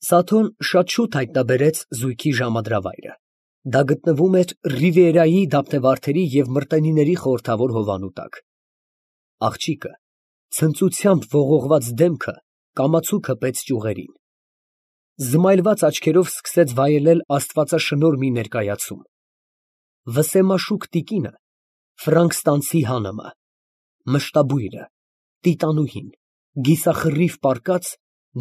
Սաթոն շատ շուտ հայտնաբերեց զույգի ժամադրավայրը. դա գտնվում էր Ռիվիերայի դափնեվարդերի և մրտենիների խորհրդավոր հովանու տակ։ Աղջիկը, ցնծությամբ ողողված դեմքը, կամացուկ հպեց ճյուղերին, զմայլված աչքերով սկսեց վայելել աստվածաշնորհ մի ներկայացում. վսեմաշուք տիկինը, Ֆրանկստանցի հանմը, մշտաբույրը, տիտանուհին, գիսախռիվ պառկած,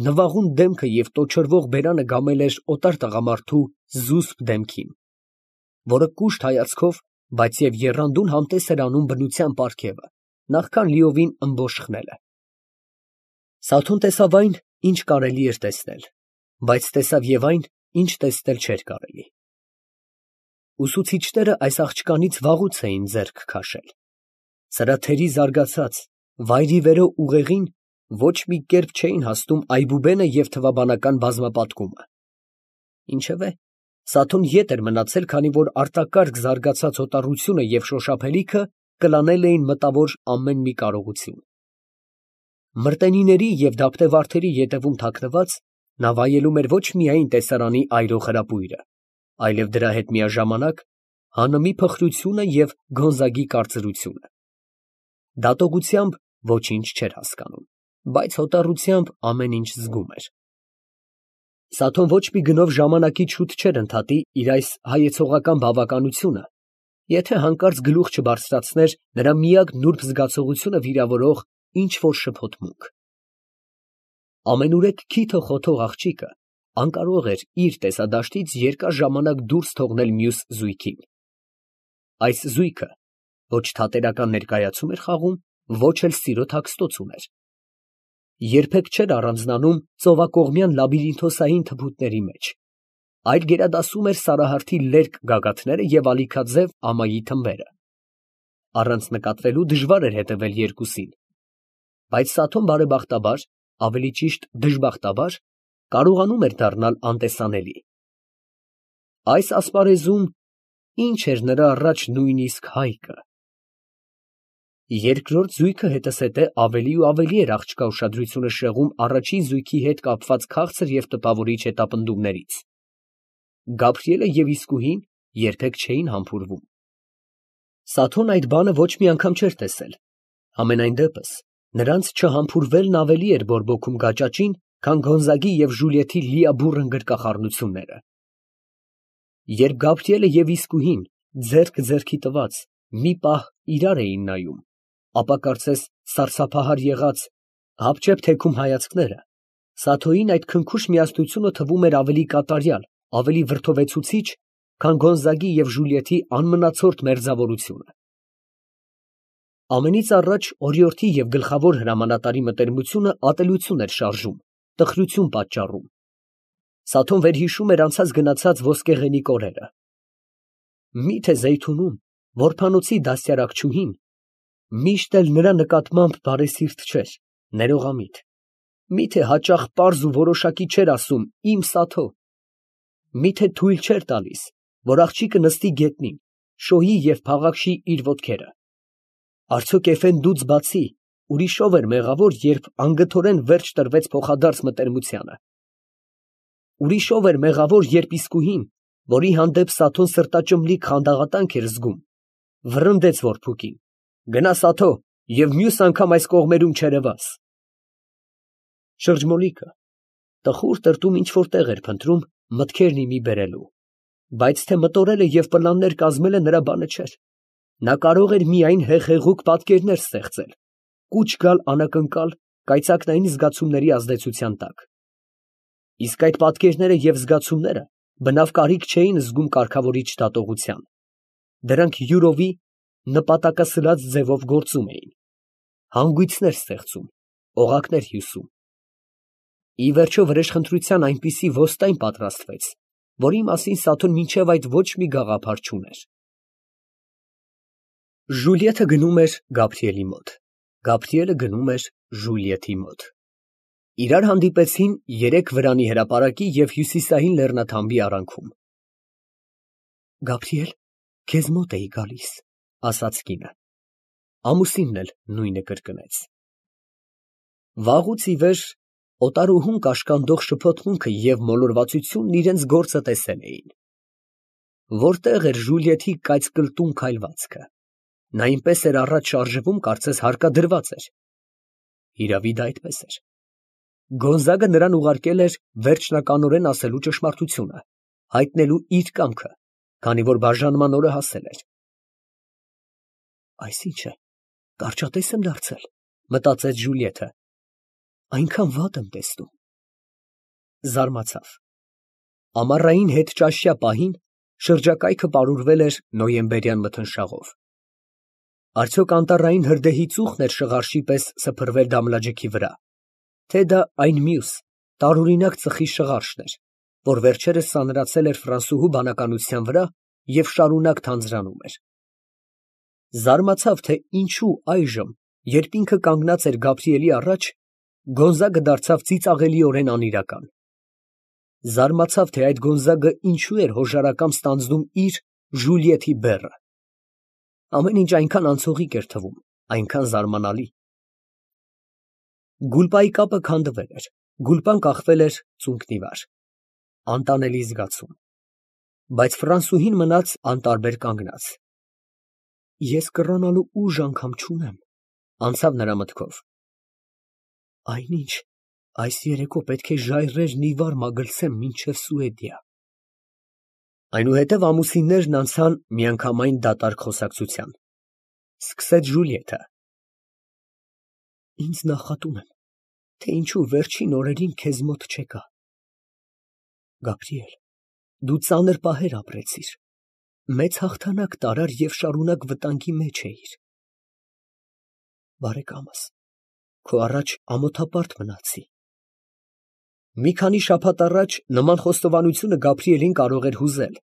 նվաղուն դեմքը և տոչորվող բերանը գամել էր օտար տղամարդու զուսպ դեմքին, որը կուշտ հայացքով, բայց և եռանդուն համտես էր անում բնության պարգևը, նախքան լիովին ըմբոշխ խմելը։ Սաթոն տեսավ այն, ինչ կարելի էր տեսնել, բայց տեսավ և այն, ինչ տեսնել չէր կարելի։ Ուսուցիչները այս աղջկանից վաղուց էին ձեռք քաշել. սրաթերի զարգացած, վայրիվերո ուղեղին ոչ մի կերպ չէին հասնում այբուբենը և թվաբանական բազմապատկումը։ Ինչևէ, Սաթոն ետ էր մնացել, քանի որ արտակարգ զարգացած հոտառությունը և շոշափելիքը կլանել էին մտավոր ամեն մի կարողություն։ Մրտենիների և դափնեվարդերի ետևում թաքնված, նա վայելում էր ոչ միայն տեսարանի այրող հրապույրը, այլև դրա հետ միաժամանակ հանմի փխրությունը և Գոնզագի կարծրությունը։ Դատողությամբ ոչինչ չէր հասկանում, բայց հոտառությամբ ամեն ինչ զգում էր։ Սաթոն ոչ մի գնով ժամանակից շուտ չէր ընդհատի իր այս հայեցողական բավականությունը, եթե հանկարծ գլուխ չբարձրացներ նրա միակ նուրբ զգացողությունը վիրավորող ինչ֊որ շփոթմունք։ Ամենուրեք քիթը խոթող աղջիկը անկարող էր իր տեսադաշտից երկար ժամանակ դուրս թողնել մյուս զույգին։ Այս զույգը ոչ թատերական ներկայացում էր խաղում, ոչ էլ սիրո թաքստոց ուներ։ Երբեք չէր առանձնանում ծովակողմյան լաբիրինթոսային թփուտների մեջ, այլ գերադասում էր Սարահարթի լերկ գագաթները և ալիքաձև ամայի թմբերը։ Առանց նկատվելու դժվար էր հետևել երկուսին, բայց Սաթոն բարեբախտաբար, ավելի ճիշտ դժբախտաբար, կարողանում էր դառնալ անտեսանելի։ Այս ասպարեզում ի՞նչ էր նրա առաջ նույնիսկ հայկը։ Երկրորդ զույգը հետզհետե ավելի ու ավելի էր աղջկա ուշադրությունը շեղում առաջին զույգի հետ կապված քաղցր և տպավորիչ հետապնդումներից։ Գաբրիելը և իսկուհին երբեք չէին համբուրվում։ Սաթոն այդ բանը ոչ մի անգամ չէր տեսել, համենայն դեպս նրանց չհամբուրվելն ավելի էր բորբոքում գաճաճին, քան Գոնզագի և Ժուլիետի լիաբուռն գրկախառնությունները։ Երբ Գաբրիելը և իսկուհին ձեռք ձեռքի տված մի պահ իրար էին նայում, ապա կարծես սարսափահար եղած, հապճեպ թեքում հայացքները, Սաթոյին այդ քնքուշ միասնությունը թվում էր ավելի կատարյալ, ավելի վրդովեցուցիչ, քան Գոնզագի և Ժուլիետի անմնացորդ մերձավորությունը։ Ամենից առաջ օրիորդի և գլխավոր հրամանատարի մտերմությունը ատելություն էր շարժում, տխրություն պատճառում։ Սաթոն վերհիշում էր անցած գնացած ոսկեղենիկ օրերը։ Մի՞թե Զեյթունում որբանոցի դաստիարակչուհին միշտ էլ նրա նկատմամբ բարեսիրտ չէր, ներողամիտ։ Մի՞թե հաճախ պարզ ու որոշակի չէր ասում «իմ Սաթո»։ Մի՞թե թույլ չէր տալիս, որ աղջիկը նստի գետնին, շոյի և փաղաքշի իր ոտքերը։ Արդյոք էֆենդուց բացի ուրիշով էր մեղավոր, երբ անգթորեն վերջ տրվեց փոխադարձ մտերմությանը։ Ուրիշով էր մեղավոր, երբ իսկուհին, որի հանդեպ Սաթոն սրտաճմլիկ խանդաղատանք էր զգում, վռնդեց որբուքին. «Գնա, Սաթո, և մյուս անգամ այս կողմերում չերևաս»։ Շրջմոլիկը տխուր տրտում ինչ֊որ տեղ էր փնտրում մտքերն ի մի բերելու, բայց թե մտորելը և պլաններ կազմելը նրա բանը չէր։ Նա կարող էր միայն հեղեղուկ պատկերներ ստեղծել, կուչ գալ անակնկալ, կայծակնային զգացումների ազդեցության տակ։ Իսկ այդ պատկերները և զգացումները բնավ կարիք չէին զգում կարգավորիչ դատողության. դրանք յուրովի նպատակասլաց ձևով գործում էին, հանգույցներ ստեղծում, օղակներ հյուսում։ Ի վերջո վրեժխնդրության այնպիսի ոստայն պատրաստվեց, որի մասին Սաթոն մինչև այդ ոչ մի գաղափար չուներ։ Ժուլիետը գնում էր Գաբրիելի մոտ, Գաբրիելը գնում էր Ժուլիետի մոտ։ Իրար հանդիպեցին երեք վրանի հրապարակի և հյուսիսային լեռնաթամբի արանքում։ Գաբրիել, քեզ մոտ էի գալիս, ասաց կինը։ Ամուսինն էլ նույնը կրկնեց։ Վաղուց ի վեր Օտարուհուն կաշկանդող շփոթմունքը և մոլորվածությունն իրենց գործը տեսել էին։ Որտեղ էր Ժուլիետի կայծկլտուն քայլվածքը։ Նա այնպես էր առաջ շարժվում, կարծես հարկադրված էր։ Իրավի դա այդպես էր։ Գոնզագը նրան ուղարկել էր վերջնականորեն ասելու ճշմարտությունը, հայտնելու իր կամքը, քանի որ բաժանման օրը հասել էր։ Այս ի՞նչ է, կարճատես եմ դարձել, մտածեց Ժուլիետը։ Այնքան վատ եմ տեսնում։ Զարմացավ։ Ամառային հետճաշյա պահին շրջակայքը պարուրվել էր նոյեմբերյան մթնշաղով։ Արդյոք անտառային հրդեհի ծուխն էր շղարշի պես սփռվել դամլաջիքի վրա, թե դա այն մյուս տարօրինակ ծխի շղարշն էր, որ վերջերս սանրացել էր ֆրանսուհու բանականության վրա և շարունակ թանձրանում էր։ Զարմացավ, թե ինչու այժմ, երբ ինքը կանգնած էր Գաբրիելի առաջ, Գոնզագը դարձավ ծիծաղելիորեն անիրական։ Զարմացավ, թե այդ Գոնզագը ինչու էր հոժարակամ ստանձնում իր Ժուլիետի բեռը։ Ամեն ինչ այնքան անցողիկ էր թվում, այնքան զարմանալի։ Գուլպայի կապը քանդվել էր, Գուլպան կախվել էր ծունկնի վրա։ Անտանելի զգացում։ Բայց ֆրանսուհին մնաց անտարբեր կանգնած։ Ես կռանալու ուժ անգամ չունեմ, անցավ նրա մտքով։ Այնինչ, այս երեկո պետք է ժայռերն ի վար մագլցեմ մինչև Սուեդիա։ Այնուհետև ամուսիններն անցան միանգամայն դատարկ խոսակցության։ Սկսեց Ժուլիետը. Ինձ նախատում են, թե ինչու վերջին օրերին քեզ մոտ չեկա։ Գաբրիել, դու ծանր պահեր ապրեցիր, մեծ հաղթանակ տարար և շարունակ վտանգի մեջ էիր։ Բարեկամս, քո առաջ ամոթապարտ մնացի։ Մի քանի շաբաթ առաջ նման խոստովանությունը Գաբրիելին կարող էր հուզել,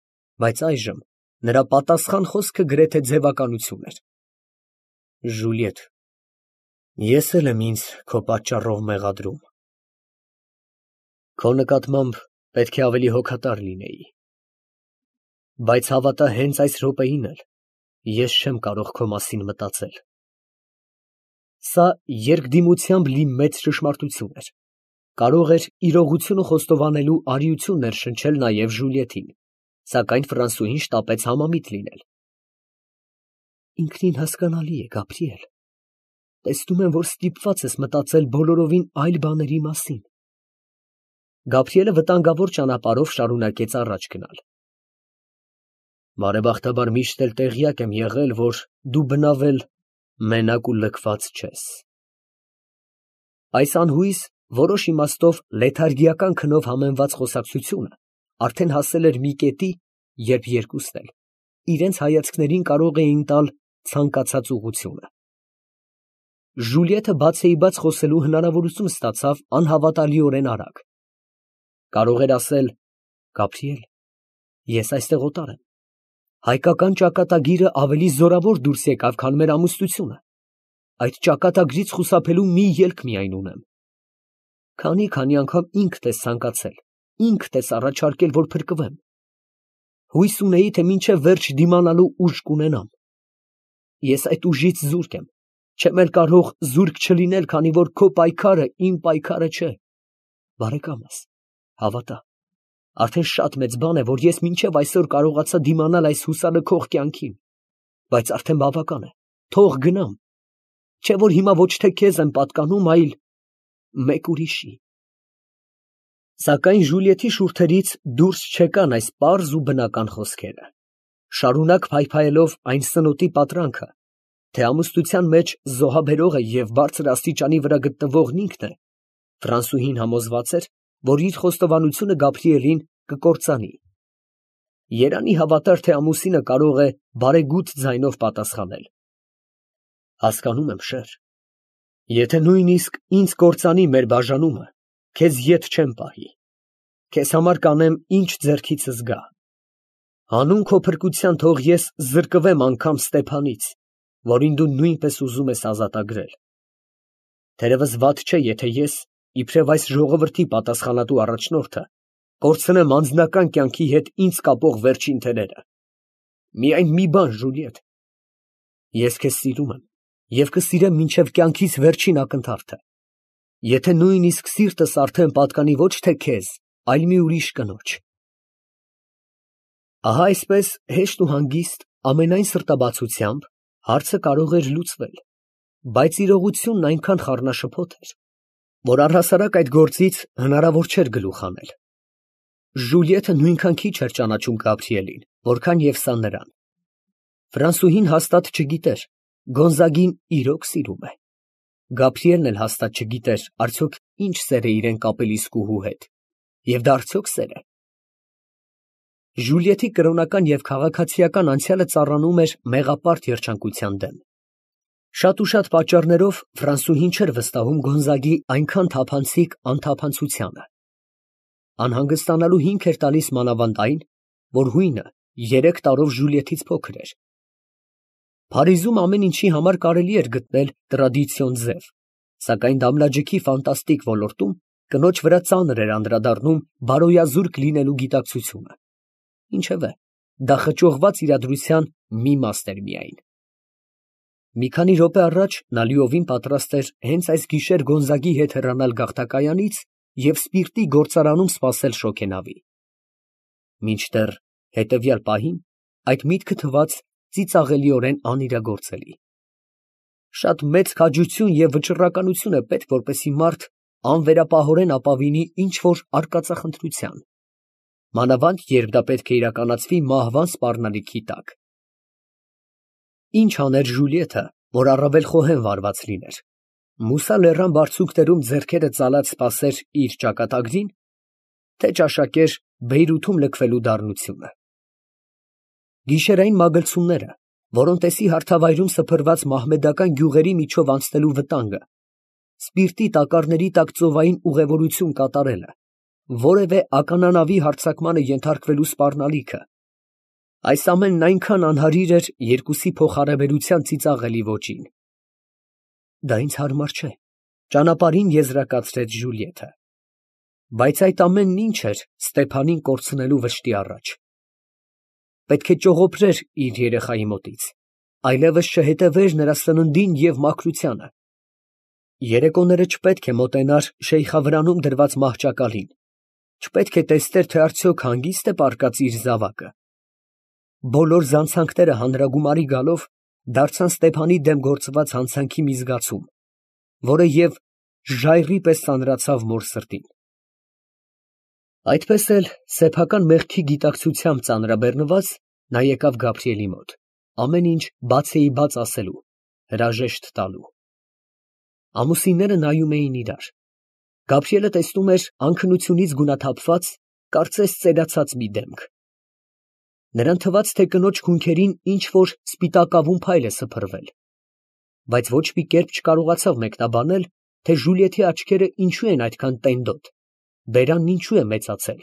բայց այժմ նրա պատասխան խոսքը գրեթե ձևականություն էր։ Ժուլիետ, ես էլ եմ ինձ քո պատճառով մեղադրում։ Քո նկատմամբ պետք է ավելի հոգատար լինեի։ Բայց հավատա, հենց այս րոպեին էլ ես չեմ կարող քո մասին մտածել։ Սա երկդիմությամբ լի մեծ ճշմարտություն էր։ Կարող էր իրողությունը խոստովանելու արիություն ներշնչել նաև Ժուլիետին, սակայն ֆրանսուհին շտապեց համամիտ լինել։ Ինքնին հասկանալի է, Գաբրիել։ Տեսնում եմ, որ ստիպված ես մտածել բոլորովին այլ բաների մասին։ Գաբրիելը վտանգավոր ճանապարհով շարունակեց առաջ գնալ։ Բարեբախտաբար միշտ էլ տեղյակ եմ եղել, որ դու բնավել մենակ ու լքված չես։ Այս անհույս, որոշ իմաստով լեթարգիական քնով համեմված խոսակցությունը արդեն հասել էր մի կետի, երբ երկուսն էլ իրենց հայացքներին կարող էին տալ ցանկացած ուղղությունը։ Ժուլիետը բացեիբաց խոսելու հնարավորություն ստացավ անհավատալիորեն արագ։ Կարող էր ասել. Գաբրիել, ես այստեղ օտար եմ։ Հայկական ճակատագիրը ավելի զորավոր դուրս եկավ, քան մեր ամուսնությունը։ Այդ ճակատագրից խուսափելու մի ելք միայն ունեմ։ Քանի անգամ ինքդ ես ցանկացել, ինքդ ես առաջարկել, որ փրկվեմ։ Հույս ունեի, թե մինչև վերջ դիմանալու ուժ կունենամ։ Ես այդ ուժից զուրկ եմ, չեմ էլ կարող զուրկ չլինել, քանի որ քո պայքարը իմ պայքարը չէ։ Բարեկամս, հավատա, արդեն շատ մեծ բան է, որ ես մինչև այսօր կարողացա դիմանալ այս հուսալքող կյանքին, բայց արդեն բավական է, թող գնամ, չէ որ հիմա ոչ թե քեզ եմ պատկանում, այլ մեկ ուրիշի։ Սակայն Ժուլիետի շուրթերից դուրս չեկան այս պարզ ու բնական խոսքերը, շարունակ փայփայելով այն սնոտի պատրանքը, թե ամուսնության մեջ զոհաբերողը և բարձր աստիճանի վրա գտնվողն ինքն է, ֆրանսուհին համոզված էր, որ իր խոստովանությունը Գաբրիելին կկործանի։ Երանի հավատար, թե ամուսինը կարող է բարեգութ ձայնով պատասխանել. Հասկանում եմ, շեր, եթե նույնիսկ ինձ կործանի մեր բաժանումը, քեզ ետ չեմ պահի, քեզ համար կանեմ ինչ ձեռքիցս գա։ Հանուն քո փրկության թող ես զրկվեմ անգամ Ստեփանից, որին դու նույնպես ուզում ես ազատագրել։ Թերևս վատ չէ, եթե ես, իբրև այս ժողովրդի պատասխանատու առաջնորդը, կորցնեմ անձնական կյանքի հետ ինձ կապող վերջին թելերը։ Միայն մի բան, Ժուլիետ, ես քեզ սիրում եմ և կսիրեմ մինչև կյանքիս վերջին ակնթարթը։ Եթե նույնիսկ սիրտս արդեն պատկանի ոչ թե քեզ, այլ մի ուրիշ կնոջ։ Ահա այսպես հեշտ ու հանգիստ, ամենայն սրտաբացությամբ հարցը կարող էր լուծվել, բայց իրողությունն այնքան խառնաշփոթ էր, որ առհասարակ այդ գործից հնարավոր չէր գլուխ հանել։ Ժուլիետը նույնքան քիչ էր ճանաչում Գաբրիելին, որքան և սա նրան։ Ֆրանսուհին հաստատ չգիտեր Գոնզագին իրոք սիրում է։ Գաբրիելն էլ հաստատ չգիտեր արդյոք ինչ սեր է իրեն կապել իսկուհու հետ, և դա արդյոք սեր է։ Ժուլիետի կրոնական և քաղաքացիական անցյալը ծառանում էր մեղապարտ երջանկության դեմ։ Շատ ու շատ պատճառներով Ֆրանսուհին չէր վստահում Գոնզագի այնքան թափանցիկ անթափանցությանը։ Անհանգստանալու հիմք էր տալիս մանավանդ այն, որ հույնը 3 տարով Ժուլիետից փոքր էր։ Փարիզում ամեն ինչի համար կարելի էր գտնել տրադիցիոն ձև, սակայն դամլաջիքի ֆանտաստիկ ոլորտում կնոջ վրա ծանր էր անդրադառնում բարոյազուրկ լինելու գիտակցությունը։ Ինչևէ, դա խճողված իրադրության մի մաս էր միայն։ Մի քանի րոպե առաջ նա լիովին պատրաստ էր հենց այս գիշեր Գոնզագի հետ հեռանալ գաղթակայանից և սպիրտի գործարանում սպասել շոգենավի։ Մինչդեռ հետևյալ պահին այդ միտքը թվաց ծիծաղելիորեն անիրագործելի։ Շատ մեծ քաջություն և վճռականություն է պետք, որպեսզի մարդ անվերապահորեն ապավինի ինչ֊որ արկածախնդրության, մանավանդ երբ դա պետք է իրականացվի մահվան սպառնալիքի տակ։ Ինչ աներ Ժուլիետը, որ առավել խոհեմ վարված լիներ, մուսա լեռան բարձունքներում ձեռքերը ծալած սպասեր իր ճակատագրին, թե ճաշակեր Բեյրութում լքվելու դառնությունը։ Գիշերային մագլցումները, որոնտեսի հարթավայրում սփռված մահմեդական գյուղերի միջով անցնելու վտանգը, սպիրտի տակառների տակ ծովային ուղևորություն կատարելը, որևէ ականանավի հարձակմանը ենթարկվելու սպառնալիքը, այս ամենն այնքան անհարիր էր երկուսի փոխհարաբերության ծիծաղելի ոճին։ Դա ինձ հարմար չէ, ճանապարհին եզրակացրեց Ժուլիետը, բայց այդ ամենն ինչ էր Ստեփանին կորցնելու վշտի առաջ։ Պետք է ճողոպրեր իր երեխայի մոտից, այլևս չհետևեր նրա սննդին և մաքրությանը։ Երեկոները չպետք է մոտենար շեյխավրանում դրված մահճակալին, չպետք է տեսներ, թե արդյոք հանգիստ է պառկած իր զավակը։ Բոլոր զանցանքները հանրագումարի գալով դարձան Ստեփանի դեմ գործված հանցանքի մի զգացում, որը և ժայռի պես ծանրացավ մոր սրտին։ Այդպես էլ սեփական մեղքի գիտակցությամբ ծանրաբեռնված նա եկավ Գաբրիելի մոտ, ամեն ինչ բացեիբաց ասելու, հրաժեշտ տալու։ Ամուսինները նայում էին իրար։ Գաբրիելը տեսնում էր անքնությունից գունաթափված, կարծես ծերացած մի դեմք։ Նրան թվաց, թե կնոջ քունքերին ինչ֊որ սպիտակավուն փայլ է սփռվել, բայց ոչ մի կերպ չկարողացավ մեկնաբանել, թե Ժուլիետի աչքերը ինչու են այդքան տենդոտ, բերանն ինչու է մեծացել,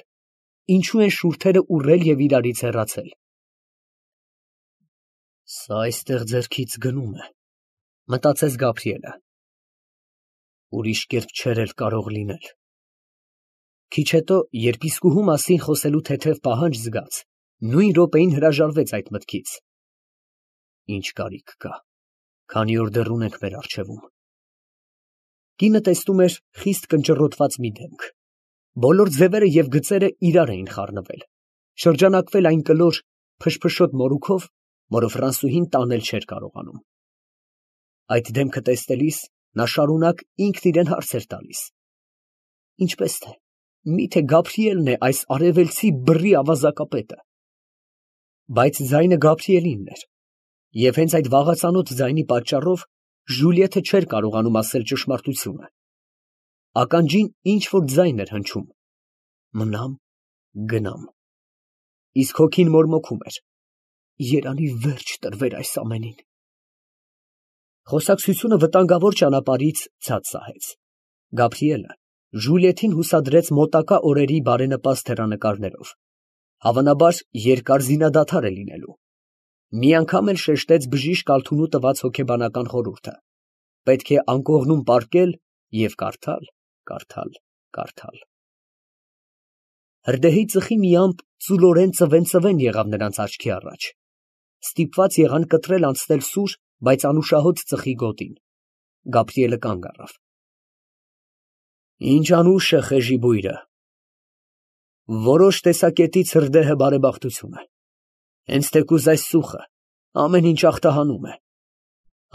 ինչու են շուրթերը ուռել և իրարից հեռացել։ Սա այստեղ ձեռքից գնում է, մտածեց Գաբրիելը։ Ուրիշ կերպ չէր էլ կարող լինել։ Քիչ հետո, երբ իսկուհու մասին խոսելու թեթև պահանջ զգաց, նույն րոպեին հրաժարվեց այդ մտքից։ Ինչ կարիք կա, քանի որ դեռ ունենք մեր առջևում։ Կինը տեսնում էր խիստ կնճռոտված մի դեմք։ Բոլոր ձևերը և գծերը իրար էին խառնվել, շրջանակվել այն կլոր, փշփշոտ մորուքով, որը Ֆրանսուհին տանել չէր կարողանում։ Այդ դեմքը տեսնելիս նա շարունակ ինքն իրան հարց էր տալիս. ինչպես թե, միթե Գաբրիելն է այս արևելցի բռի ավազակապետը։ Բայց ձայնը Գաբրիելինն էր, և հենց այդ վաղածանոթ ձայնի պատճառով Ժուլիետը չէր կարողանում ասել ճշմարտությունը։ Ականջին ինչ֊որ ձայն էր հնչում. մնամ, գնամ։ Իսկ հոգին մորմոքում էր. երանի վերջ տրվեր այս ամենին։ Խոսակցությունը վտանգավոր ճանապարհից ցած սահեց։ Գաբրիելը Ժուլիետին հուսադրեց մոտակա օրերի բարենպաստ հեռանկարներով, հավանաբար երկար զինադադար է լինելու։ Մի անգամ էլ շեշտեց բժիշկ Ալթունու տված հոգեբանական խորհուրդը. պետք է անկողնում պառկել և կարդալ, կարդալ, կարդալ։ Հրդեհի ծխի մի ամպ ծուլորեն ծվեն եղավ նրանց աչքի առաջ։ Ստիպված եղան կտրել անցնել սուր, բայց անուշահոտ ծխի գոտին։ Գաբրիելը կանգ առավ։ Ինչ անուշ է խեժի բույրը։ Որոշ տեսակետից հրդեհը բարեբախտություն է։ Հենց թեկուզ այս ծուխը ամեն ինչ ախտահանում է։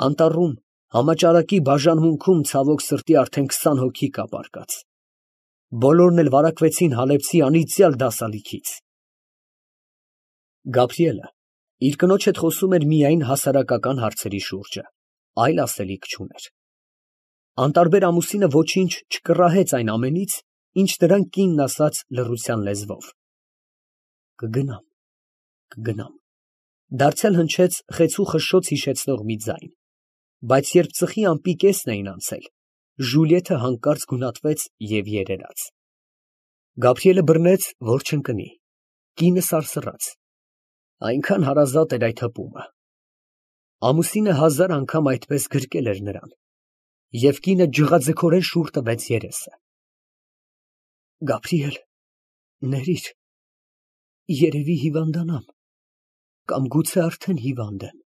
Անտառում, համաճարակի բաժանմունքում ցավոք սրտի արդեն 20 հոգի կա պառկած։ Բոլորն էլ վարակվեցին Հալեբցի անիծյալ դասալիքից։ Գաբրիելը իր կնոջ հետ խոսում էր միայն հասարակական հարցերի շուրջը, այլ ասելիք չուներ։ Անտարբեր ամուսինը ոչինչ չկռահեց այն ամենից, ինչ նրան կինն ասաց լռության լեզվով. «Կգնամ, կգնամ»։ Դարձյալ հնչեց խեցու խշշոց հիշեցնող մի ձայն, բայց երբ ծխի ամպի կեսն էին անցել, Ժուլիեթը հանկարծ գունատվեց և երերաց։ Գաբրիելը բռնեց, որ չընկնի։ Կինը սարսռաց։ Այնքան հարազատ էր այդ հպումը։ Ամուսինը 1000 անգամ այդպես գրկել էր նրան, և կինը ջղաձգորեն շուռ տվեց երեսը։ Գաբրիել, ներիր, երևի հիվանդանամ, կամ գուցե արդեն հիվանդ եմ։